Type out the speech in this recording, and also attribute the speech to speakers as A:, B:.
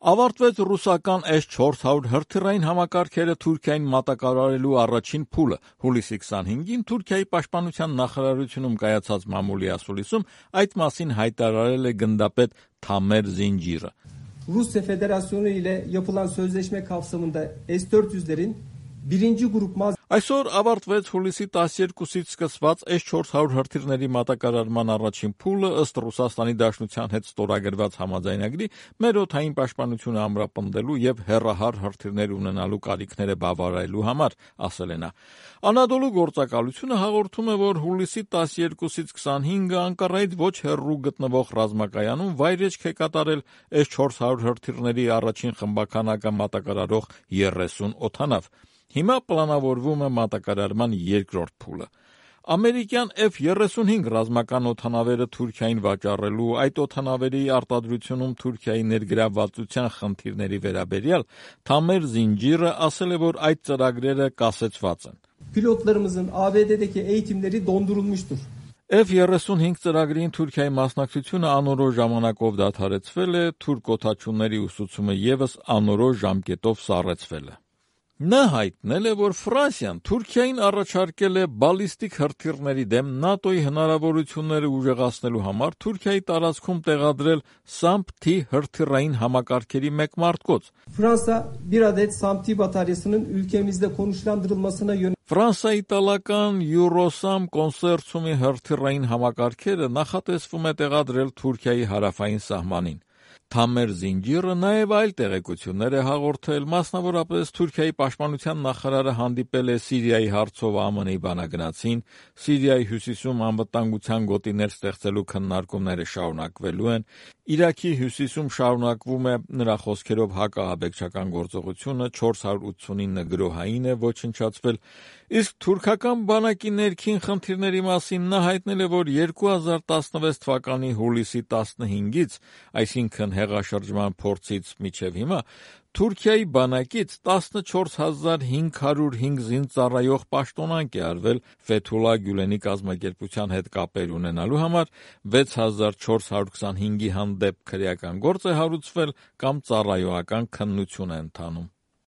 A: Ավարտվեց ռուսական S-400 հրթիռային համակարգերը Թուրքիային մատակարարելու առաջին փուլը։ Հուլիսի 25-ին Թուրքիայի պաշտպանության նախարարությունում կայացած մամուլի ասուլիսում այդ մասին հայտարարել է գնդապետ Թամեր Զինջիրը.
B: Rusya Federasyonu ile yapılan sözleşme kapsamında S-400'lerin birinci grup
A: Այսօր ավարտվեց հուլիսի 12-ից սկսված S-400 հրթիռների մատակարարման առաջին փուլը ըստ Ռուսաստանի Դաշնության հետ ստորագրված համաձայնագրի մեր օդային պաշտպանությունը ամրապնդելու եւ հեռահար հրթիռներ ունենալու կարիքները բավարարելու համար, ասել է նա։ Անադոլու գործակալությունը հաղորդում է, որ հուլիսի 12-ից 25-ը Անկարայից ոչ հեռու գտնվող ռազմակայանում վայրեջք է կատարել S-400 հրթիռների առաջին խմբականակը մատակարարող 30 օդանավ։ Հիմա պլանավորվում է մատակարարման երկրորդ փուլը։ Ամերիկյան F-35 ռազմական օդանավերը Թուրքիային վաճառելու, այդ օդանավերի արտադրությունում Թուրքիայի ներգրավվածության խնդիրների վերաբերյալ Թամեր Զինջիրը ասել է, որ այդ ծրագրերը կասեցված են։
B: Pilotlarımızın ABD'deki eğitimleri dondurulmuştur.
A: F-35 ծրագրին Թուրքիայի մասնակցությունը անորոշ ժամանակով դադարեցվել է, թուրք օդաչուների ուսուցումը ևս անորոշ ժամկետով սառեցվել է։ Նա հայտնել է, որ Ֆրանսիան Թուրքիային առաջարկել է բալիստիկ հրթիռների դեմ ՆԱՏՕ-ի հնարավորությունները ուժեղացնելու համար Թուրքիայի տարածքում տեղադրել SAMP-T հրթիռային համակարգերի մեկ մարտկոց։
B: Fransa bir adet SAMP-T bataryasının ülkemizde konuşlandırılmasına yönelik
A: Ֆրանսիա-իտալական Eurosam կոնսերցիումի հրթիռային համակարգերը նախատեսվում է տեղադրել Թուրքիայի հարավային սահմանին։ Թամեր Զինջիրը նաև այլ տեղեկություններ է հաղորդել, մասնավորապես Թուրքիայի պաշտպանության նախարարը հանդիպել է Սիրիայի հարցով ԱՄՆ-ի բանագնացին, Սիրիայի հյուսիսում անվտանգության գոտիներ ստեղծելու քննարկումները շարունակվելու են, Իրաքի հյուսիսում շարունակվում է նրա խոսքերով հակաահաբեկչական գործողությունը, 489 գրոհային է ոչնչացվել, իսկ թուրքական բանակի ներքին խնդիրների մասին նա հայտնել է, որ 2016 թվականի հուլիսի 15-ից, այսինքն հեղաշրջման փորձից մինչև հիմա, Թուրքիայի բանակից 14505 զինծառայող պաշտոնանկ է արվել Ֆեթուլա Գյուլենի կազմակերպության հետ կապեր ունենալու համար, 6425-ի հանդեպ քրեական գործ է հարուցվել կամ ծառայողական քննություն է ընթանում։